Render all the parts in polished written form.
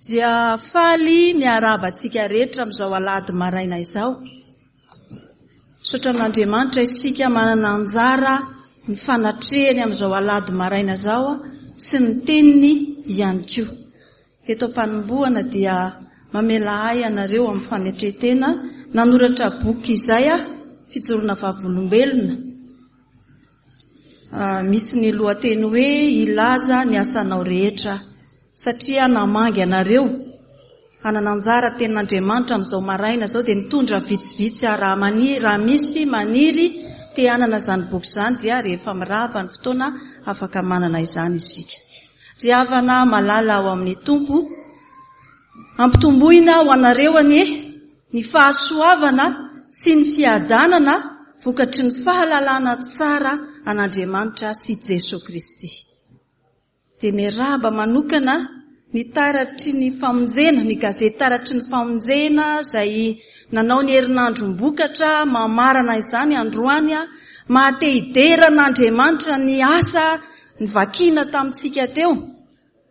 Dia faly miarahaba antsika rehetra amin'izao alahady maraina izao. Misaotra an'Andriamanitra isika manana anjara ny fanatrehany amin'izao alahady maraina izao sy ny teniny ihany koa. Eto am-panombohana dia mamela ahy ianareo amin'ny fanetren-tena nanoratra boky izay aho, Fijoroana Vavolombelona. Misy ny lohateny hoe Hilaza ny asanao rehetra aho. Satria namangy anareo hanana anjara tenin'Andriamanitra amin'izao maraina izao dia nitondra vitsivitsy aho. Raha maniry, raha misy maniry te hanana izany boky izany dia rehefa mirava ny fotoana afaka manana izany isika. Ry havana malala ao amin'ny Tompo, ampitomboina ho anareo anie ny fahasoavana sy ny fiadanana vokatry ny fahalalana tsara an'Andriamanitra sy Jesoa Kristy. Dia miarahaba manokana ny Taratry ny Famonjena, ny gazety Taratry ny Famonjena izay nanao ny herinandrom-bokatra mamarana izany androany. Maha te hidera an'Andriamanitra ny asa nivakiana tamintsika teo.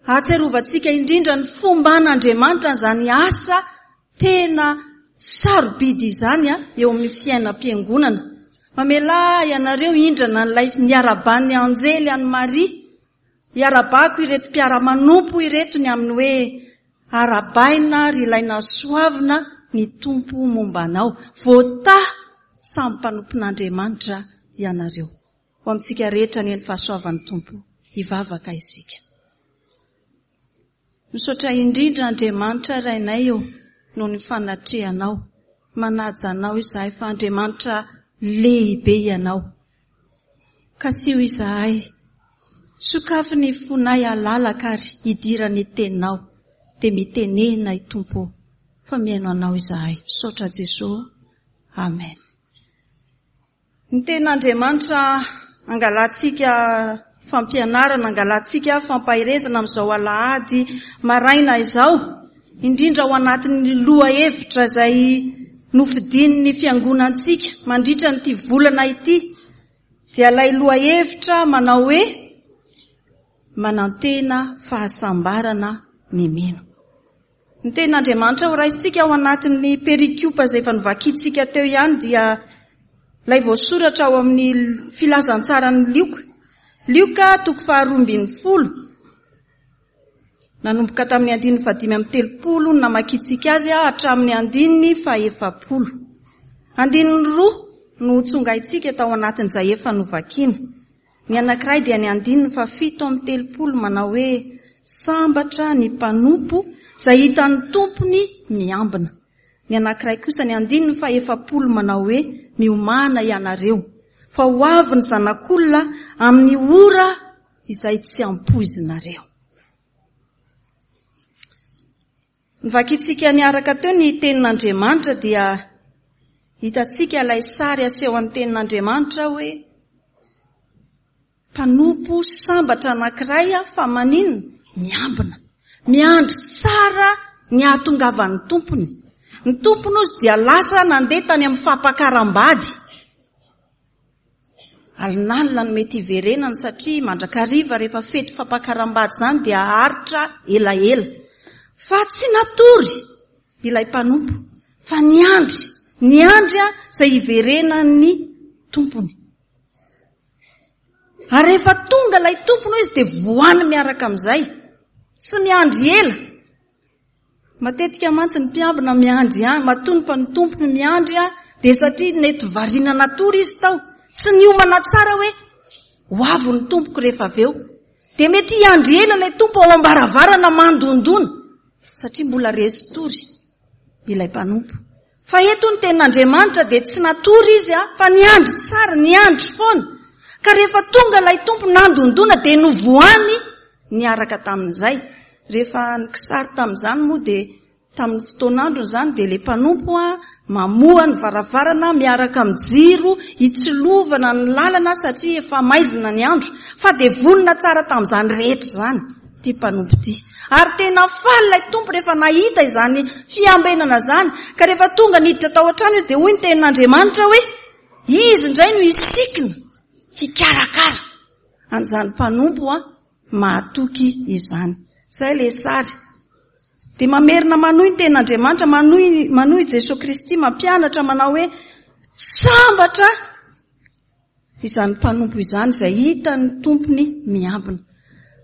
Ahatsiarovantsika indrindra ny fomban'Andriamanitra an'izany asa tena sarobidy izany eo amin'ny fiainam-piangonana. Mamelà ianareo hindrana an'ilay niaraban'ny anjely an'i Maria. Iarabako ireto mpiara-manompo ireto ny amin'ny hoe arabaina ry ilay nasoavina ny Tompo momba anao. Voatahy samy mpanompon'Andriamanitra ianareo. Ho amintsika rehetra anie ny fahasoavan'ny Tompo. Hivavaka isika. Misaotra indrindra Andriamanitra Rainay o noho ny fanatrehanao. Manaja Anao izahay fa Andriamanitra lehibe Ianao. Kasiho izahay. Sokafy ny fonay halalaka ary hidiran'ny Teninao. Dia mitenena i Tompo o fa mihaino Anao izahay. Misaotra Jesoa. Amen. Ny tenin'Andriamanitra angalantsika fampianarana, angalantsika fampaherezana amin'izao alahady maraina izao, indrindra ao anatin'ny lohahevitra izay nofidian'ny fiangonantsika mandritra an'ity volana ity, dia ilay lohahevitra manao hoe manantena fahasambarana ny mino. Ny tenin'Andriamanitra ho raisintsika ao anatin'ny perikopa izay efa novakintsika teo ihany dia ilay voasoratra ao amin'ny filazantsaran'i Lioka. Lioka toko faharoa ambin'ny folo. Nanomboka tamin'ny andininy fahadimy amby telopolo no namakintsika azy hatramin'ny andininy fahefapolo. Andininy roa no tsongaintsika tao anatin'izay efa novakina. Ny anankiray dia ny andininy fahafito amby telopolo manao hoe, Sambatra ny mpanompo izay hitan'ny tompony miambina. Ny anankiray kosa ny andininy fahefapolo manao hoe, Miomàna ianareo, fa ho avy ny Zanak'olona amin'ny ora izay tsy ampoizinareo. Novakintsika niaraka teo ny Tenin'Andriamanitra dia hitantsika ilay sary asehon'ny Tenin'Andriamanitra hoe mpanompo sambatra anankiray fa maninona? Miambina. Miandry tsara ny hahatongavan'ny tompony. Ny tompony ozy dia lasa nandeha tany amin'ny fampakaram-bady. Alinalina no mety hiverenany satria mandrakariva rehefa fety fampakaram-bady izany dia haharitra elaela. Fa tsy natory ilay mpanompo fa niandry, niandry izay hiverenan'ny tompony. Ary rehefa tonga ilay tompony hoy izy dia voany miaraka amin'izay. Tsy miandry ela. Matetika mantsy ny mpiambina miandry ihany, matoa ny mpanotompony miandry dia satria nety variana natory izy tao, tsy niomana tsara hoe ho avy ny tompoko rehefa avy eo. Dia mety hiandry ela ilay tompo ao am-baravarana mandondona satria mbola resy tory ilay mpanompo. Fa eto ny tenin'Andriamanitra dia tsy natory izy fa niandry tsara, niandry foana. Ka rehefa tonga ilay tompo nandondona dia novohany niaraka tamin'izay. Rehefa ny kisary tamin'izany moa dia tamin'ny fotoan'androny izany dia ilay mpanompo mamoha ny varavarana miaraka amin'ny jiro hitsilovana ny lalana satria efa maizina ny andro. Fa dia vonona tsara tamin'izany rehetra izany ity mpanompo ity. Ary tena faly ilay tompo rehefa nahita izany fiambenana izany. Ka rehefa tonga niditra tao an-trano izy dia hoy ny tenin'Andriamanitra hoe izy indray no hisikina hikarakara an'izany mpanompo mahatoky izany. Izay ilay sary. Dia mamerina manohy ny tenin'Andriamanitra, manohy, manohy Jesoa Kristy mampianatra manao hoe sambatra izany mpanompo izany izay hitan'ny tompony miambina.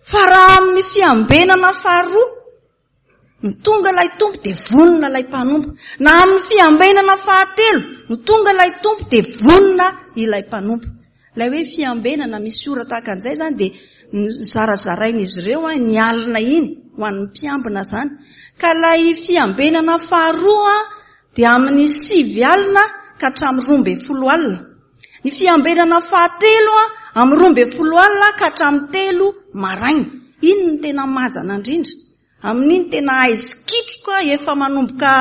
Fa raha amin'ny fiambenana faharoa no tonga ilay tompo dia vonona ilay mpanompo. Na amin'ny fiambenana fahatelo no tonga ilay tompo dia vonona ilay mpanompo. Ilay hoe fiambenana misy ora tahaka an'izay izany dia zarazarain'izy ireo ny alina iny ho an'ny mpiambina izany. Ka ilay fiambenana faharoa dia amin'ny sivy alina ka hatramin'ny 12 alina. Ny fiambenana fahatelo amin'ny 12 alina ka hatramin'ny telo maraina. Iny no tena mazana indrindra. Amin'iny tena aizikitroka efa manomboka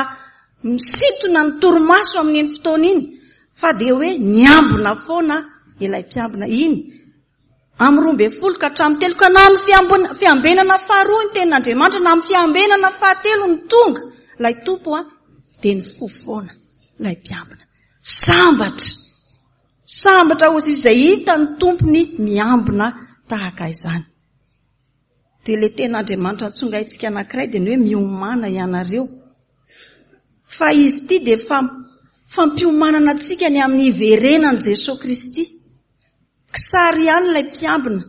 misintona ny torimaso amin'iny fotoana iny fa dia hoe niambina foana ilay mpiambina. Iny amin'ny 12 ka hatramin'ny telo ka na amin'ny fiambenana faharoa ny tenin'Andriamanitra na amin'ny fiambenana fahatelo no tonga ilay tompo dia nifoha foana ilay mpiambina. Sambatra! Sambatra hozy izay hitan'ny tompony miambina tahaka izany. Dia ilay tenin'Andriamanitra ntsongaintsika anankiray dia ny hoe miomàna ianareo. Fa izy ity dia fampiomanana antsika ny amin'ny hiverenan'i Jesoa Kristy. Kisary ihany ilay mpiambina,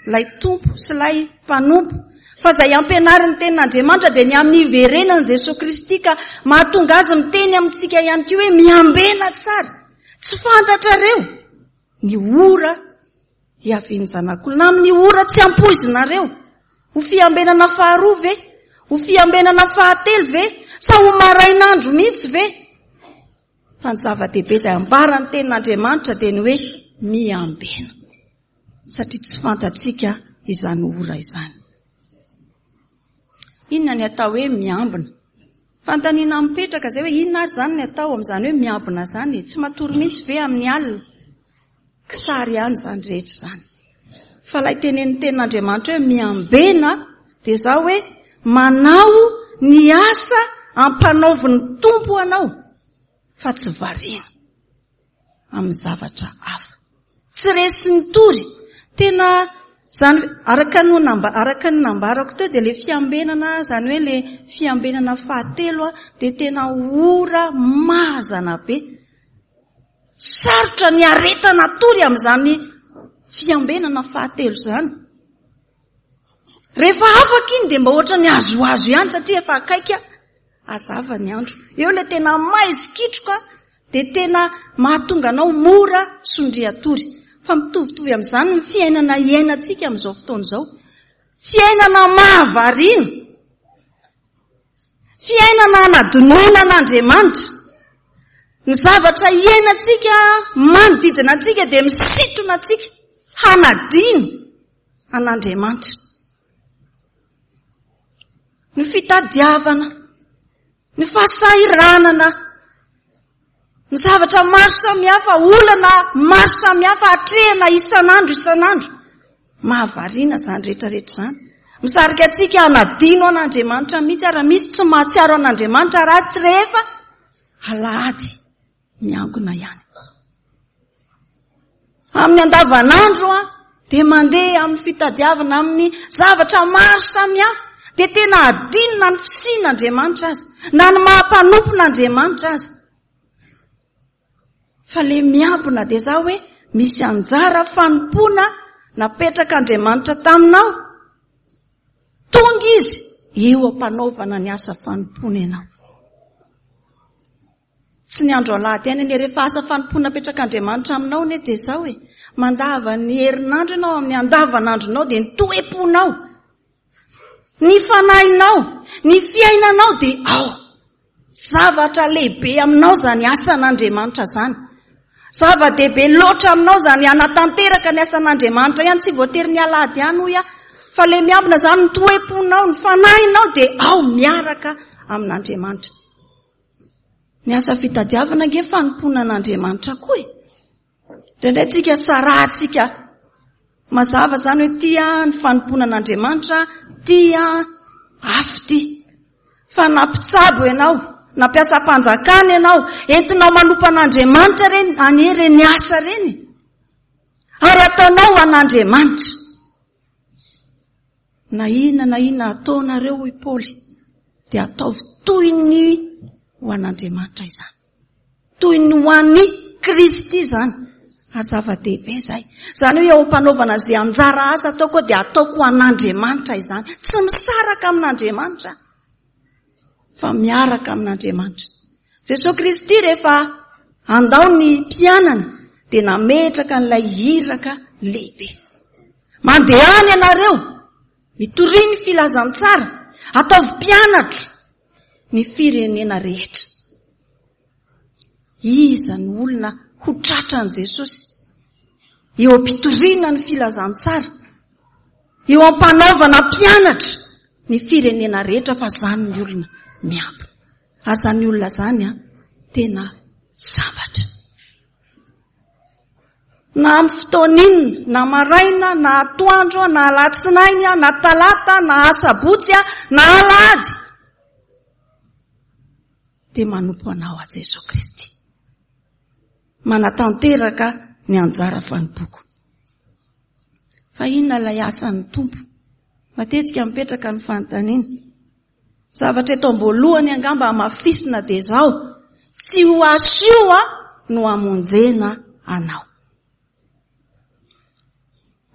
ilay tompo sy ilay mpanompo. Fa izay ampianarin'ny tenin'Andriamanitra dia ny amin'ny hiverenan'i Jesoa Kristy ka mahatonga azy miteny amintsika ihany koa hoe miambena tsara. Tsy fantatrareo ny ora hiavian'ny Zanak'olona amin'ny ora tsy ampoizinareo. Ho fiambenana faharoa ve? Ho fiambenana fahatelo ve? Sa ho marain'andro mihitsy ve? Fa ny zava-dehibe izay ambaran'ny tenin'Andriamanitra dia ny hoe miambena. Satria tsy fantatsika izany ora izany. Inona ny atao hoe miambina? Fanontaniana mipetraka izay hoe inona ary izany ny atao amin'izany hoe miambina izany? Tsy matory mihitsy ve amin'ny alina? Kisary ihany izany rehetra izany. Fa ilay tenenin'ny tenin'Andriamanitra hoe miambena dia izao hoe manao ny asa ampanaovin'ny Tompo anao fa tsy variana amin'ny zavatra hafa. Tsy resin'ny tory. Tena izany araka ny namba, araka ny nambarako teo dia ilay fiambenana izany hoe ilay fiambenana fahatelo dia tena ora mazana be. Sarotra ny aretana tory amin'izany fiambenana fahatelo izany. Rehefa afaka iny dia mba ohatran'ny azoazo ihany satria efa akaiky hazava ny andro. Eo ilay tena maizikitroka dia tena mahatonga anao mora sondrian-tory. Fa mitovitovy amin'izany ny fiainana iainantsika amin'izao fotoana izao. Fiainana mahavariana. Fiainana hanadinoana an'Andriamanitra. Ny zavatra iainantsika manodidina antsika dia misintona antsika hanadino an'Andriamanitra. Ny fitadiavana, ny fahasahiranana, ny zavatra maro samihafa, olana maro samihafa atrehina isan'andro isan'andro. Mahavariana izany rehetra rehetra izany. Misarika antsika hanadino an'Andriamanitra mihitsy ary misy tsy mahatsiaro an'Andriamanitra raha tsy rehefa alahady miangona ihany. Amin'ny andavanandro dia mandeha amin'ny fitadiavana amin'ny zavatra maro samihafa dia tena adino na ny fisian'Andriamanitra aza, na ny maha-mpanompon'Andriamanitra aza. Fa le miambina dia za hoe misy anjara fanompoana napetrak'Andriamanitra taminao. Tonga izy eo am-panaovana ny asa fanompoana ianao. Tsy ny andro alahady ihany anie, rehefa asa fanompoana apetrak'Andriamanitra aminao anie dia izao e, mandava ny herinandro ianao amin'ny andavanandronao dia ny toe-ponao, ny fanahinao, ny fiainanao dia ao. Zavatra lehibe aminao izany asan'Andriamanitra izany. Zava-dehibe loatra aminao izany hanatanteraka ny asan'Andriamanitra ihany, tsy voatery ny alahady ihany hoy aho, fa ilay miambina izany ny toe-ponao, ny fanahinao dia ao miaraka amin'Andriamanitra. Ny asa fitadiavana ange fanompoana an'Andriamanitra koa e. Indraindray tsika sarahantsika mazava izany hoe tia ny fanompoana an'Andriamanitra, tia afo ity. Fa na mpitsabo ianao, na mpiasam-panjakana ianao, entinao manompo an'Andriamanitra ireny, anie ireny asa ireny. Ary ataonao ho an'Andriamanitra. Na inona na inona ataonareo hoy Paoly. dia ataovy toy ny ho an'Andriamanitra izany. Toy ny ho an'i Kristy izany. Ary zava-dehibe izay. Izany hoe eo am-panaovana izay anjara asa ataoko dia ataoko ho an'Andriamanitra izany. Tsy misaraka amin'Andriamanitra fa miaraka amin'Andriamanitra. Jesosy Kristy rehefa handao ny mpianany dia nametraka an'ilay iraka lehibe. Mandehana ianareo, mitoria ny filazantsara, ataovy mpianatro ny firenena rehetra. Iza no olona ho tratran'i Jesosy eo am-pitoriana ny filazantsara, eo am-panaovana mpianatra ny firenena rehetra fa izany ny olona miambina. Ary izany olona izany an, tena sambatra. Na amin'ny fotoana inona, na maraina, na atoandro, na alatsinainy, na talata, na asabotsy, na alahady, dia manompo anao aho Jesoa Kristy. Manatanteraka ny anjara fanompoako. Fa inona ilay asan'ny Tompo? Matetika mipetraka ny fanontaniana. Zavatra eto am-boalohany angamba hamafisina dia izao, tsy ho asio a no hamonjena anao.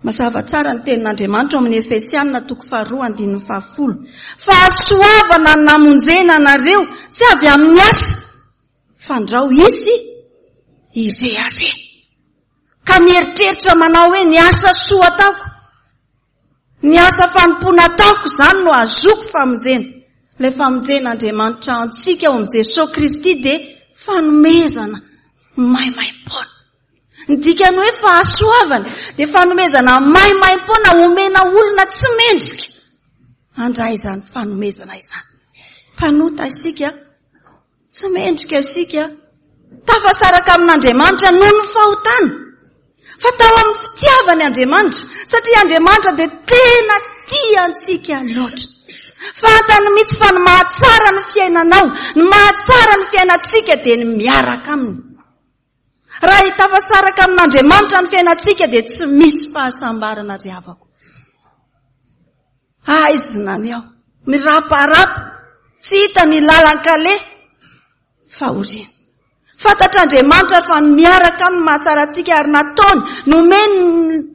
Mazava tsara ny tenin'Andriamanitra ao amin'ny Efesianina toko faharoa andininy fahafolo. Fahasoavana ny namonjena anareo, tsy avy amin'ny asa, fandrao hisy hirehareha. Ka mieritreritra manao hoe ny asa soa ataoko, ny asa fanompoana ataoko izany no ahazoako famonjena. Ilay famonjen'Andriamanitra antsika ao amin'i Jesosy Kristy dia fanomezana maimaim-poana. Ny dikan'ny hoe fahasoavana dia fanomezana maimaim-poana omena olona tsy mendrika handray izany fanomezana izany. Mpanota isika, tsy mendrika isika, tafasaraka amin'Andriamanitra noho ny fahotana. Fa tao amin'ny fitiavany Andriamanitra, satria Andriamanitra dia tena tia antsika loatra. Fantany mihitsy fa ny mahatsara ny fiainanao, ny mahatsara ny fiainantsika dia ny miaraka aminy. Raha hitafasaraka amin'Andriamanitra ny fiainantsika dia tsy misy fahasambarana ry havako. Aizina ny ao, miraparapa, tsy hita ny lalan-kaleha, fahoriana. Fantatr'Andriamanitra fa ny miaraka aminy mahatsara antsika ary nataony, nomeny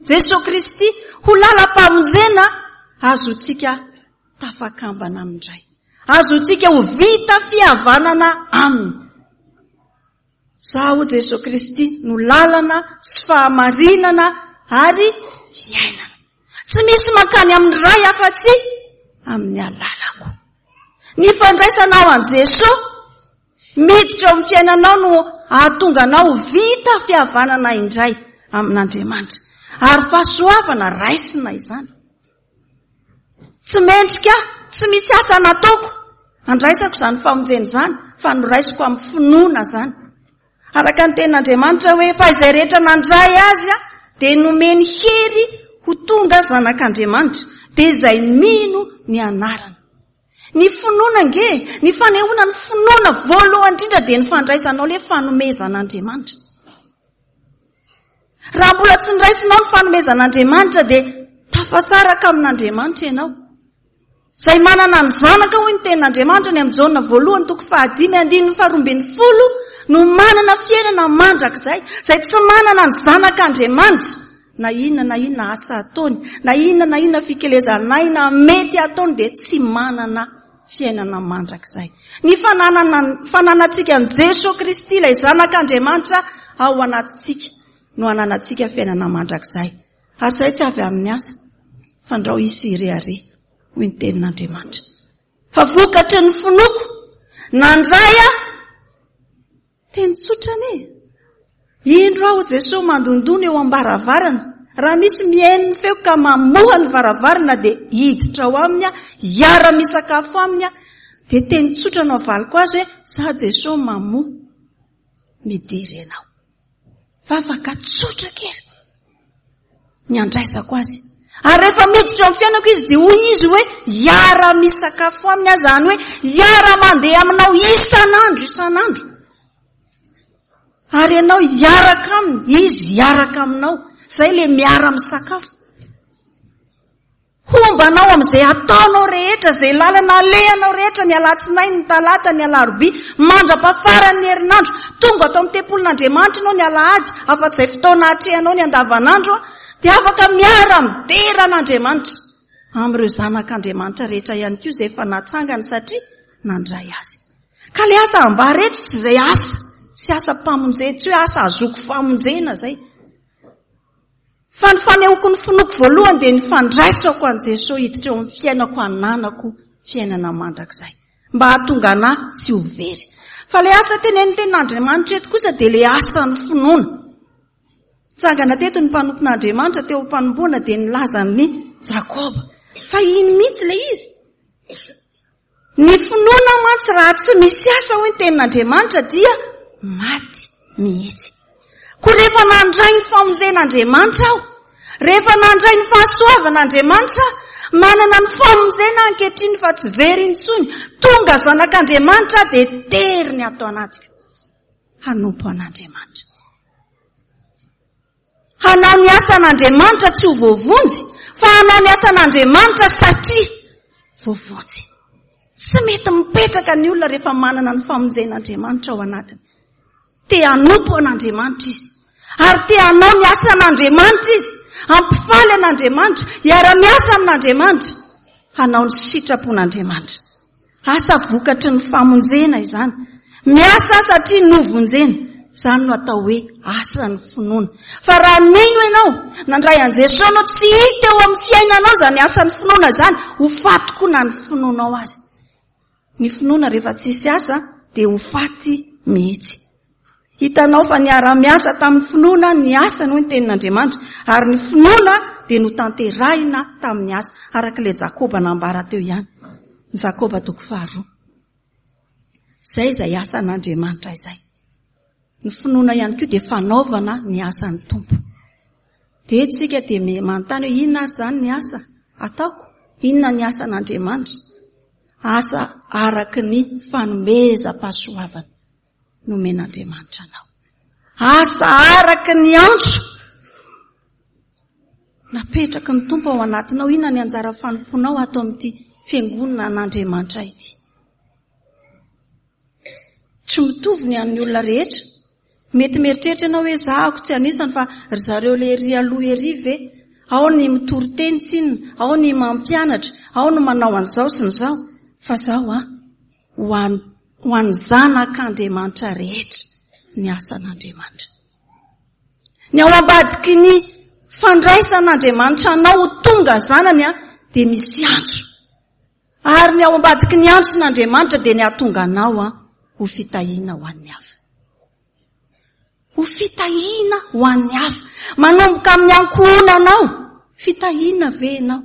Jesoa Kristy ho lalam-pamonjena azontsika tafakambana amindray. Azontsika ho vita fihavanana aminy. Zaho Jesoa Kristy no lalana sy fahamarinana ary fiainana. Tsy misy mankany amin'ny Ray afa-tsy amin'ny alalako. Ny fandraisanao an'i Jesoa miditra eo amin'ny fiainanao no hahatonga anao ho vita fihavanana indray amin'Andriamanitra. Ary fahasoavana raisina izany. Tsy mendrika aho, tsy misy asa nataoko andraisako izany famonjena izany, fa noraisiko amin'ny finoana izany. Araka ny tenin'Andriamanitra hoe, fa izay rehetra nandray azy dia nomeny hery ho tonga zanak'Andriamanitra, dia izay mino ny anarany. Ny finoana ange, ny fanehoana ny finoana voalohany indrindra dia ny fandraisanao ilay fanomezan'Andriamanitra. Raha mbola tsy niraisinao ny fanomezan'Andriamanitra dia tafasaraka amin'Andriamanitra ianao. Izay manana ny zanaka hoy ny tenin'Andriamanitra ny amin'ny Jaona voalohany toko fahadimy andininy faharoambinifolo no manana fiainana mandrakizay. Izay tsy manana ny zanak'Andriamanitra na inona na inona asa ataony, na inona na inona fikelezan'aina mety ataony dia tsy manana fiainana mandrakizay. Ny fananana, fananantsika an'i Jesoa Kristy, ilay Zanak'Andriamanitra ao anatintsika, no ananantsika fiainana mandrakizay. Ary izay tsy avy amin'ny asa, fandrao hisy hirehareha, hoy ny tenin'Andriamanitra. Fa vokatry ny finoako, nandray aho, Teny tsotra anie. Indro aho Jesoa mandondona eo am-baravarana. Raha misy mihaino ny feoko ka mamoha ny varavarana dia hiditra ao aminy aho, hiara-misakafo aminy aho. Dia teny tsotra no avaliko azy hoe, za Jesoa mamoha, midira ianao. Vavaka tsotra kely. ny andraisako azy. Ary rehefa miditra ao amin'ny fiainako izy dia hoy izy hoe hiara-misakafo aminy aho, izany hoe hiara-mandeha aminao isan'andro isan'andro. Ary ianao hiaraka aminy, izy hiaraka aminao. Izay ilay miara-misakafo. Homba anao amin'izay ataonao rehetra, izay lalana alehanao rehetra, ny alatsinainy, ny talata, ny alarobia, mandra-pahafaran'ny herinandro. Tonga ato amin'ny tempolin'Andriamanitra ianao ny alahady, afa-tsy izay fotoana atrehanao ny andavanandro, dia afaka miara-midera an'Andriamanitra amin'ireo zanak'Andriamanitra rehetra ihany koa izay efa natsangany satria nandray azy. Ka ilay asa ambara eto tsy izay asa, tsy asam-pamonjena, tsy hoe asa ahazoako famonjena izay. Fa ny fanehoako ny finoako voalohany dia ny fandraisako an'i Jesoa hiditra eo amin'ny fiainako hananako fiainana mandrakizay. Mba hahatonga anà tsy ho very. Fa ilay asa tenenin'ny tenin'Andriamanitra eto kosa dia ilay asan'ny finoana. Nitsangana teto ny mpanompon'Andriamanitra teo am-panomboana dia nilaza an'i Jakoba. Fa iny mihitsy ilay izy. Ny finoana mantsy raha tsy misy asa hoy ny tenin'Andriamanitra dia maty mihitsy. Koa rehefa nandray ny famonjen'Andriamanitra aho, rehefa nandray ny fahasoavan'Andriamanitra aho, manana ny famonjena aho ankehitriny fa tsy very intsony, tonga zanak'Andriamanitra aho dia tery ny ato anatiko hanompo an'Andriamanitra. Hanao ny asan'Andriamanitra tsy ho voavonjy, fa hanao ny asan'Andriamanitra satria voavonjy. Tsy mety mipetraka ny olona rehefa manana ny famonjen'Andriamanitra ao anatiny. Te hanompo an'Andriamanitra izy. Ary te hanao ny asan'Andriamanitra izy. Hampifaly an'Andriamanitra. Hiara-miasa amin'Andriamanitra. Hanao ny sitrapon'Andriamanitra. Asa vokatry ny famonjena izany. Miasa satria novonjena. Izany no atao hoe asan'ny finoana. Fa raha nino ianao, nandray an'i Jesoa ianao, tsy hita eo amin'ny fiainanao izany asan'ny finoana izany, ho faty koa na ny finoanao aza. Ny finoana rehefa tsisy asa dia ho faty mihitsy. Hitanao fa niara-miasa tamin'ny finoana ny asany hoy ny tenin'Andriamanitra, ary ny finoana dia notanterahina tamin'ny asa, araka ilay Jakoba nambara teo ihany. Ny Jakoba toko faharoa. Izay izay asan'Andriamanitra izay. Ny finoana ihany koa dia fanaovana ny asan'ny Tompo. Dia eto isika dia manontany hoe inona ary izany ny asa ataoko? Inona ny asan'Andriamanitra? Asa araka ny fanomezam-pahasoavana. nomen'Andriamanitra anao. Asa araka ny antso napetraky ny Tompo ao anatinao. Inona ny anjara fanompoanao ato amin'ity fiangonana an'Andriamanitra ity? Tsy mitovy ny an'ny olona rehetra. Mety mieritreritra ianao hoe zahako tsy anisany fa ry zareo le ery aloha ery ve? Ao ny mitory teny tsinona, ao ny mampianatra, ao ny manao an'izao sy ny izao. Fa zaho an, ho an, ho an'ny zanak'Andriamanitra rehetra ny asan'Andriamanitra. Ny ao ambadiky ny fandraisan'Andriamanitra anao ho tonga zanany an, dia misy antso. Ary ny ao ambadiky ny antson'Andriamanitra dia ny hahatonga anao an, ho fitahiana ho an'ny hafa. Ho fitahiana ho an'ny hafa. Manomboka amin'ny ankohonanao. Fitahiana ve ianao?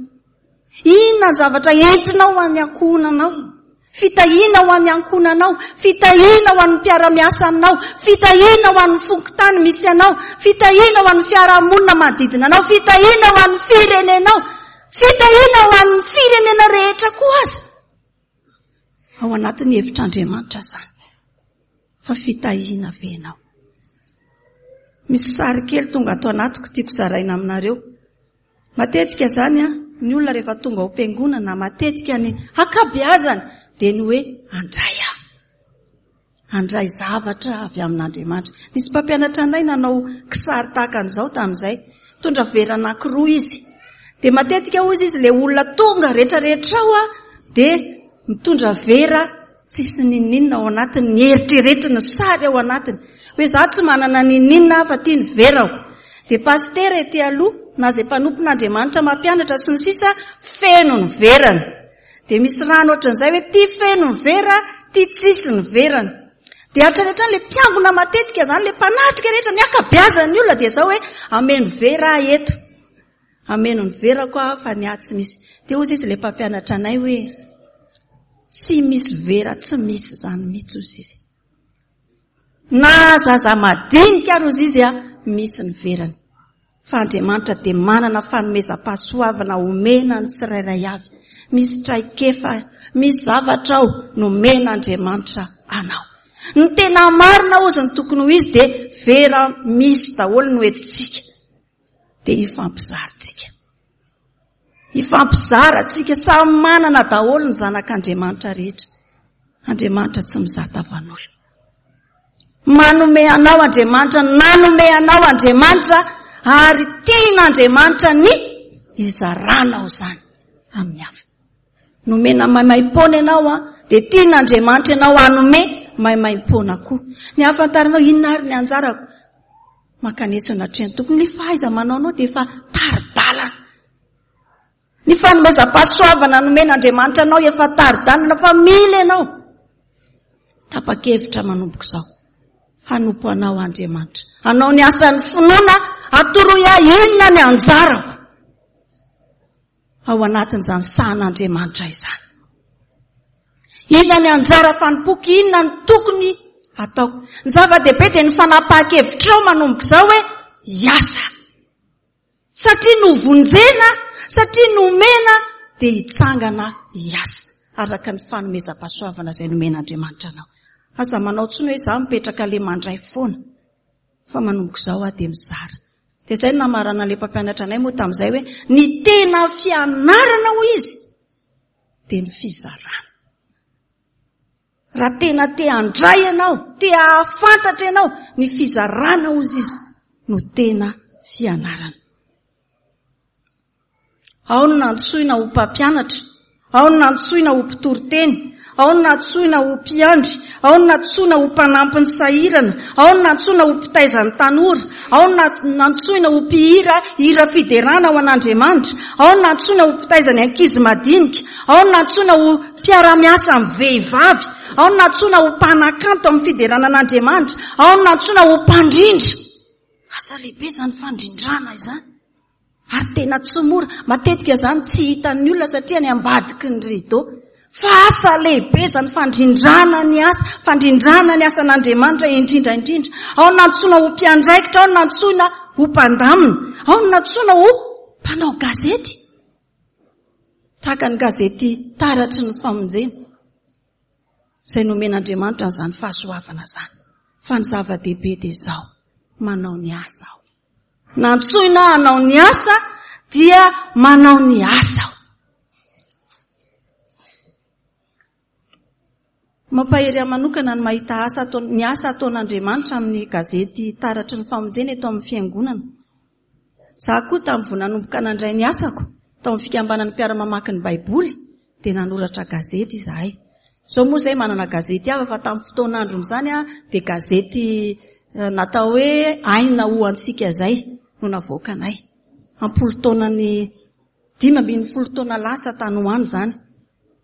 Inona ny zavatra entinao ho an'ny ankohonanao? Fitahiana ho an'ny ankohonanao, fitahiana ho an'ny mpiara-miasa aminao, fitahiana ho an'ny fokontany misy anao, fitahiana ho an'ny fiarahamonina manodidina anao, fitahiana ho an'ny firenenao, fitahiana ho an'ny firenena rehetra koa aza. Ao anatin'ny hevitr'Andriamanitra izany. Fa fitahiana ve ianao? Misy sary kely tonga ato anatiko tiako zaraina aminareo. Matetika izany an, ny olona rehefa tonga ao am-piangonana, matetika ny ankabeazany dia ny hoe handray aho. Handray zavatra avy amin'Andriamanitra. Nisy mpampianatra anay nanao kisary tahaka an'izao tamin'izay. Nitondra vera anankiroa izy. Dia matetika hoy izy, ilay olona tonga rehetrarehetra ao an, dia mitondra vera Tsisy n'inon'inona ao anatiny, ny eritreretiny, ny sary ao anatiny. Hoe za tsy manana n'inon'inona aho fa ty ny verako. Dia pasitera ety aloha, na izay mpanompon'Andriamanitra mampianatra sy ny sisa, feno ny verany. Dia misy rano ohatran'izay hoe ty feno ny vera, ty tsisy ny verany. Dia hatrany hatrany ilay mpiangona matetika izany, ilay mpanatrika rehetra, ny ankabeazan'ny olona dia izao hoe ameno vera aho eto. Hameno ny verako aho fa ny ahy tsy misy. Dia hozy izy ilay mpampianatra anay hoe, tsy misy vera tsy misy izany mihitsy hozy izy. Na zaza madinika ary hozy izy a, misy ny verany. Fa Andriamanitra dia manana fanomezam-pahasoavana omena ny tsirairay avy. Misy traikefa, misy zavatra ao nomen'Andriamanitra anao. Ny tena marina hozy ny tokony ho izy dia vera misy daholo no entintsika. dia hifampizarintsika. Hifampizara tsika, samy manana daholo ny zanak'Andriamanitra rehetra. Andriamanitra tsy mizaha tavan'olona. Manome anao Andriamanitra, nanome anao Andriamanitra ary tian'Andriamanitra ny hizaranao izany amin'ny hafa. Nomena maimaim-poana ianao an, dia tian'Andriamanitra ianao hanome maimaim-poana koa. Ny hahafantaranao inona ary ny anjarako? Mankanesa eo anatrehan'ny Tompo. Ny fahaiza-manaonao dia efa tari-dalana. Ny fanomezam-pahasoavana nomen'Andriamanitra anao efa tari-dalana fa mila ianao. Tapa-kevitra manomboka izao. Hanompo anao Andriamanitra. Hanao ny asan'ny finoana, atoroy ahy inona ny anjarako. Ao anatin'izany sahan'Andriamanitra izany. Inona ny anjara fanompoako, inona ny tokony hataoko. Ny zava-dehibe dia ny fanapahan-kevitrao manomboka izao hoe hiasa. Satria novonjena, satria nomena dia hitsangana hiasa araka ny fanomezam-pahasoavana izay nomen'Andriamanitra anao. Aza manao intsony hoe izaho mipetraka le mandray foana fa manomboka izao aho dia mizara. Dia izay no namaranan'ilay mpampianatra anay moa tamin'izay hoe ny tena fianarana hoy izy dia ny fizarana. Raha tena te handray ianao, te hahafantatra ianao, ny fizarana hozy izy no tena fianarana. Ao no nantsoina ho mpampianatra, ao no nantsoina ho mpitory teny, ao no nantsoina ho mpiandry, ao no nantsoina ho mpanampy ny sahirana, ao no nantsoina ho mpitaiza ny tanora, ao no nantsoina ho mpihira hira fiderana ho an'Andriamanitra, ao no nantsoina ho mpitaiza ny ankizy madinika, ao no nantsoina ho mpiara-miasa amin'ny vehivavy, ao no nantsoina ho mpanakanto amin'ny fiderana an'Andriamanitra, ao no nantsoina ho mpandrindra. Asa lehibe izany fandrindrana izany. Ary tena tsy mora. Matetika izany tsy hitan'ny olona satria any ambadiky ny rideau. Fa asa lehibe izany fandrindrana ny asa, fandrindrana ny asan'Andriamanitra indrindra indrindra. Ao no nantsoina ho mpiandraikitra, ao no nantsoina ho mpandamina, ao no nantsoina ho mpanao gazety. Tahaka ny gazety Taratry ny Famonjena, izay nomen'Andriamanitra an'izany fahasoavana izany. Fa ny zava-dehibe dia izao, manao ny asa aho. Nantsoina hanao ny asa dia manao ny asa aho. Mampahery ahy manokana ny mahita asa atao, ny asa ataon'Andriamanitra amin'ny gazety Taratry ny Famonjena eto amin'ny Fiangonana. Izaho koa tamin'ny vao nanomboka nandray ny asako tao amin'ny fikambanan'ny mpiara-mamaky ny Baiboly dia nanoratra gazety izahay. Izao moa izahay manana gazety hafa fa tamin'ny fotoan'andron'izany dia gazety natao hoe Aina ho antsika izay no navoakanay. Ampolo taonany 15 taona lasa tany ho any izany.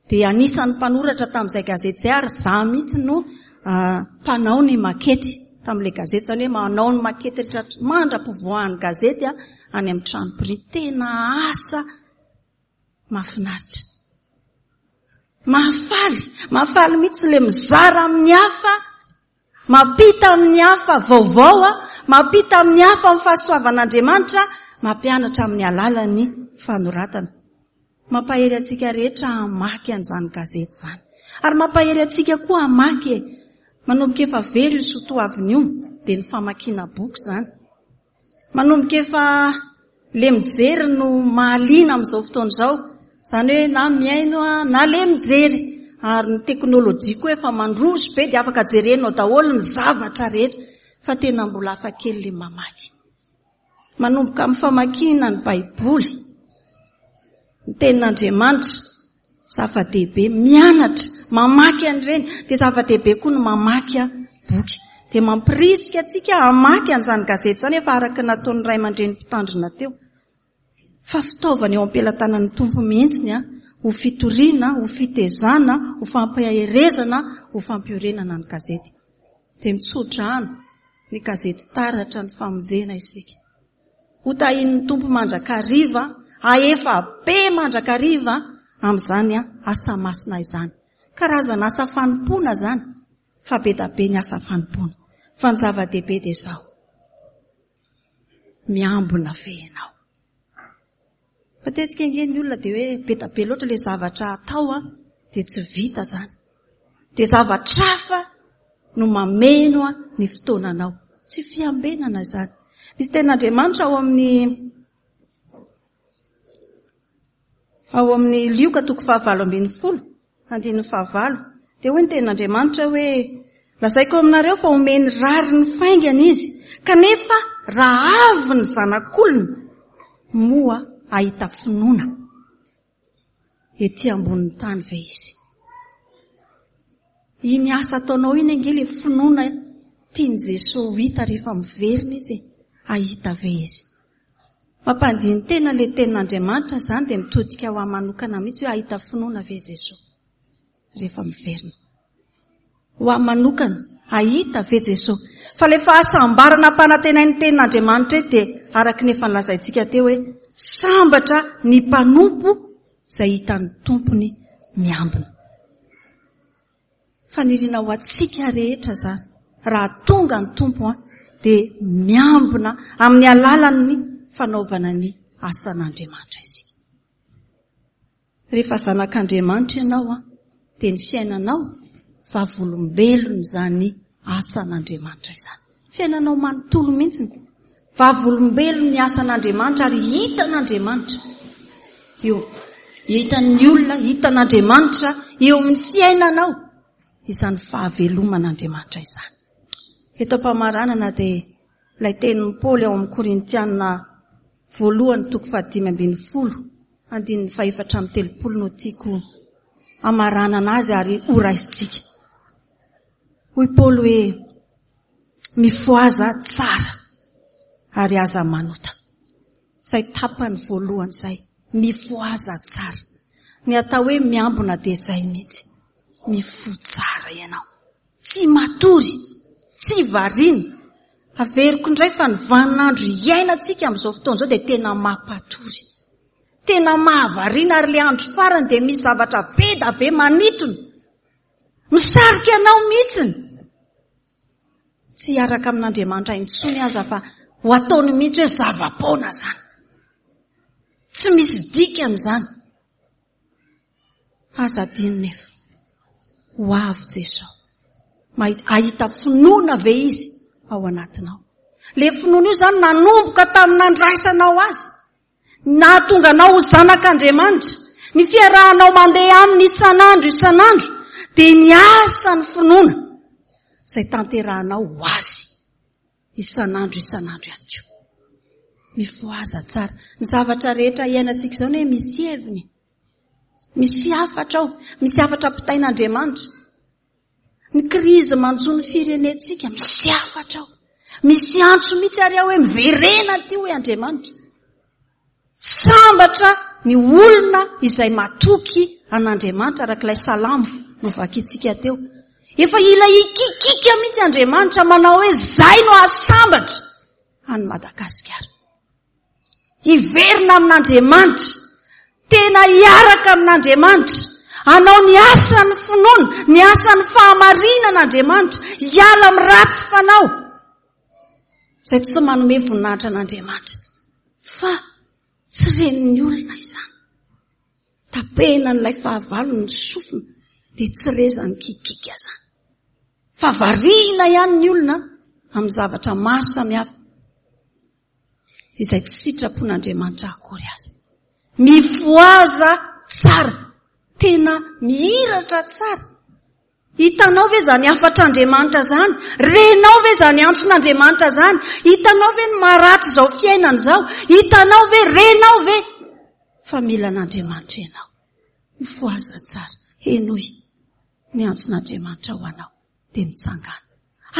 Dia anisan'ny mpanoratra tamin'izay gazety izay ary izaho mihitsy no mpanao ny makety tamin'ilay gazety. Izany hoe manao ny makety rehetra mandra-pivoahan'ny gazety any amin'ny trano printy. Tena asa mahafinaritra. Mahafaly, mahafaly mihitsy ilay mizara amin'ny hafa, mampita amin'ny hafa vaovao, mampita amin'ny hafa ny fahasoavan'Andriamanitra, mampianatra amin'ny alalan'ny fanoratana. Mampahery antsika rehetra hamaky an'izany gazety izany. Ary mampahery antsika koa hamaky e. Manomboka efa very io soatoavina io, dia ny famakiana boky izany. Manomboka efa le mijery no mahaliana amin'izao fotoana izao. Izany hoe na mihaino na le mijery. Ary ny teknolojia koa efa mandroso be dia afaka jerenao daholo ny zavatra rehetra. Fa tena mbola hafa kely le mamaky. Manomboka amin'ny famakiana ny Baiboly, ny Tenin'Andriamanitra, zava-dehibe, mianatra, mamaky an'ireny, dia zava-dehibe koa ny mamaky boky. Dia mampirisika antsika hamaky an'izany gazety izany efa araka ny nataon'ny ray aman-dreny mpitandrina teo. Fa fitaovana eo am-pelatanan'ny Tompo mihitsy ny ho fitoriana, ho fitezana, ho fampaherezana, ho fampiorenana ny gazety. Dia mitsodrano ny gazety Taratra ny Famonjena isika. Ho tahian'ny Tompo mandrakariva, hahefa be mandrakariva amin'izany asa masina izany. Karazana asa fanompoana izany, fa be da be ny asa fanompoana. Fa ny zava-dehibe dia izao, miambina ve ianao? Matetika ange ny olona dia hoe be da be loatra ilay zavatra atao an, dia tsy vita izany. Dia zavatra hafa no mameno ny fotoananao. Tsy fiambenana izany. Misy tenin'Andriamanitra ao amin'ny. Ao amin'ny Lioka toko fahavalo ambin'ny folo, andininy fahavalo, dia hoy ny tenin'Andriamanitra hoe, Lazaiko aminareo fa omeny rariny faingana izy, kanefa raha avy ny Zanak'olona, moa hahita finoana ety ambonin'ny tany ve izy? Iny asa ataonao iny ange ilay finoana tian'i Jesoa ho hita rehefa miverina izy e. Hahita ve izy? Mampandini-tena ilay tenin'Andriamanitra izany dia mitodika ho ahy manokana mihitsy hoe hahita finoana ve Jesoa rehefa miverina. Ho ahy manokana, hahita ve Jesoa? Fa ilay fahasambarana ampanantenain'ny tenin'Andriamanitra eto dia araka ny efa nolazaintsika teo hoe sambatra ny mpanompo izay hitan'ny tompony miambina. Faniriana ho antsika rehetra izany. Raha tonga ny Tompo an, dia miambina amin'ny alalan'ny fanaovana ny asan'Andriamanitra isika. Rehefa zanak'Andriamanitra ianao an, dia ny fiainanao vavolombelona izany asan'Andriamanitra izany. Fiainanao manontolo mihitsy. Vavolombelon'ny asan'Andriamanitra ary hitan'Andriamanitra io. Hitan'ny olona, hitan'Andriamanitra eo amin'ny fiainanao izany fahaveloman'Andriamanitra izany. Eto am-pamaranana dia ilay tenin'i Paoly ao amin'ny Korintiana voalohany toko fahadimy ambin'ny folo andininy fahefatra amby telopolo no tiako hamaranana azy ary horaisintsika. Hoy Paoly hoe Mifohaza tsara ary aza manota. Izay tapany voalohany izay. Mifohaza tsara. Ny atao hoe miambina dia izay mihitsy. Mifoha tsara ianao. Tsy matory, tsy variana. Averiko indray fa ny vaninandro iainantsika amin'izao fotoana izao dia tena mampatory. Tena mahavariana ary ilay andro farany dia misy zavatra be da be manintona. Misarika anao mihitsiny. Tsy hiaraka amin'Andriamanitra intsony aza fa ho ataony mihitsy hoe zava-poana izany. Tsy misy dikany izany. Aza adino nefa. Ho avy Jesosy. Mahita finoana ve izy ao anatinao? Le finoana io izany nanomboka tamin'ny nandraisanao azy. Nahatonga anao ho zanak'Andriamanitra. Ny fiarahanao mandeha aminy isan'andro isan'andro dia ny asan'ny finoana izay tanterahanao ho azy isan'andro isan'andro ihany koa. Mifohaza tsara. Ny zavatra rehetra iainantsika izao anie misy heviny. Misy hafatra ao. Misy hafatra ampitain'Andriamanitra. Ny krizy manjo ny firenentsika, misy hafatra ao. Misy antso mihitsy ary ao hoe miverena aty hoy Andriamanitra. Sambatra ny olona izay matoky an'Andriamanitra arak'ilay salamo novakintsika teo. Efa hila hikikika mihitsy Andriamanitra manao hoe zay no hahasambatra an'i Madagasikara. Hiverina amin'Andriamanitra. Tena hiaraka amin'Andriamanitra. Hanao ny asan'ny finoana, ny asan'ny fahamarinan'Andriamanitra. Hiala amin'ny ratsy fanao. Izay tsy manome voninahitra an'Andriamanitra. Fa tsy ren'ny olona izany. Tapenan'ilay fahavalo ny sofina dia tsy rezan'ny kikika izany. Fa variana ihany ny olona amin'ny zavatra maro samihafa. izay tsy sitrapon'Andriamanitra akory aza. Mifohaza tsara, tena mihiratra tsara. Hitanao ve izany hafatr'Andriamanitra izany? Renao ve izany antson'Andriamanitra izany? Hitanao ve ny maharatsy izao fiainana izao? Hitanao ve, renao ve fa mila an'Andriamanitra ianao? Mifohaza tsara, henoy ny antson'Andriamanitra ho anao. dia mitsangàna.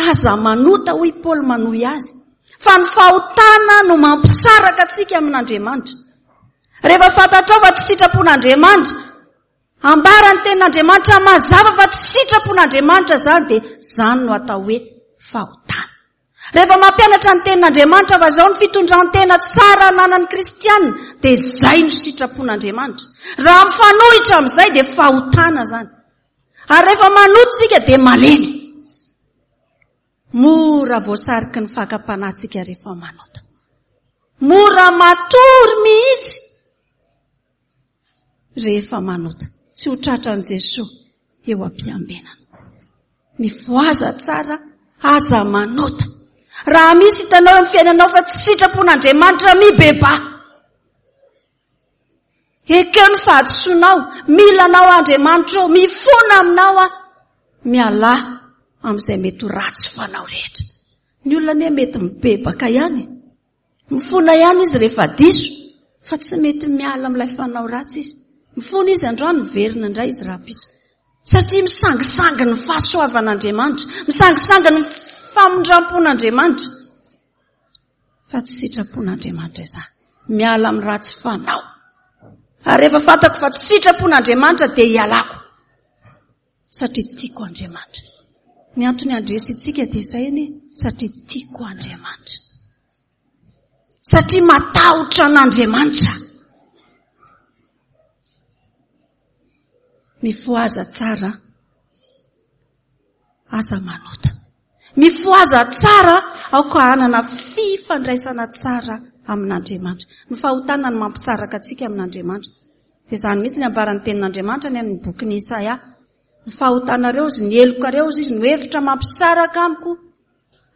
Aza manota, hoy Paoly manohy azy, fa ny fahotana no mampisaraka antsika amin'Andriamanitra. Rehefa fantatrao fa tsy sitrapon'Andriamanitra, ambara ny tenin'Andriamanitra mazava fa tsy sitrapon'Andriamanitra izany, dia izany no atao hoe fahotana. Rehefa mampianatra ny tenin'Andriamanitra fa izao ny fitondran-tena tsara ananan'ny kristiana, dia izay no sitrapon'Andriamanitra. Raha mifanohitra amin'izay dia fahotana izany. Ary rehefa manota isika dia malemy. Mora voasariky ny fakam-panahy tsika rehefa manota. Mora matory mihitsy rehefa manota. Tsy ho tratran'i Jesoa eo am-piambenana. Mifohaza tsara, aza manota. Raha misy hitanao eo amin'ny fiainanao fa tsy sitrapon'Andriamanitra, mibebaha. Ekeo ny fahadisoanao, mila anao Andriamanitra ô, mifona aminao aho. Mialà amin'izay mety ho ratsy fanao rehetra. Ny olona anie mety mibebaka ihany. Mifona ihany izy rehefa diso, fa tsy mety miala amin'ilay fanao ratsy izy. Mifona izy androany, miverina indray izy rahampitso. Satria misangisangy ny fahasoavan'Andriamanitra, misangisangy ny famindram-pon'Andriamanitra. Fa tsy sitrapon'Andriamanitra izany. Miala amin'ny ratsy fanao. Ary rehefa fantako fa tsy sitrapon'Andriamanitra dia hialako. Satria tiako Andriamanitra. Ny antony handresy antsika dia izay anie, satria tiako Andriamanitra. Satria matahotra an'Andriamanitra. Mifohaza tsara, aza manota. Mifohaza tsara, aoka hanana fifandraisana tsara amin'Andriamanitra. Ny fahotana no mampisaraka antsika amin'Andriamanitra. Dia izany mihitsy ny ambaran'ny tenin'Andriamanitra any amin'ny bokin'i Isaia. Ny fahotanareo izy, ny helokareo izy, no hevitra mampisaraka amiko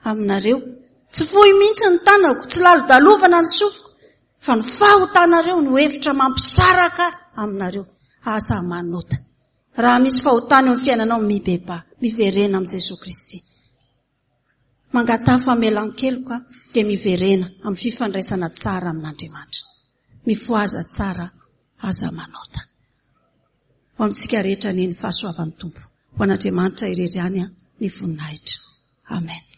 aminareo. Tsy fohy mihitsy ny tanako, tsy lalodalovana ny sofiko, fa ny fahotanareo no hevitra mampisaraka aminareo. Aza manota. Raha misy fahotana eo amin'ny fiainanao, mibebaha, miverena amin'i Jesoa Kristy. Mangataha famelan-keloka dia miverena amin'ny fifandraisana tsara amin'Andriamanitra. Mifohaza tsara, aza manota. Ho amintsika rehetra anie ny fahasoavan'ny Tompo. Ho an'Andriamanitra irery ihany ny voninahitra. Amen.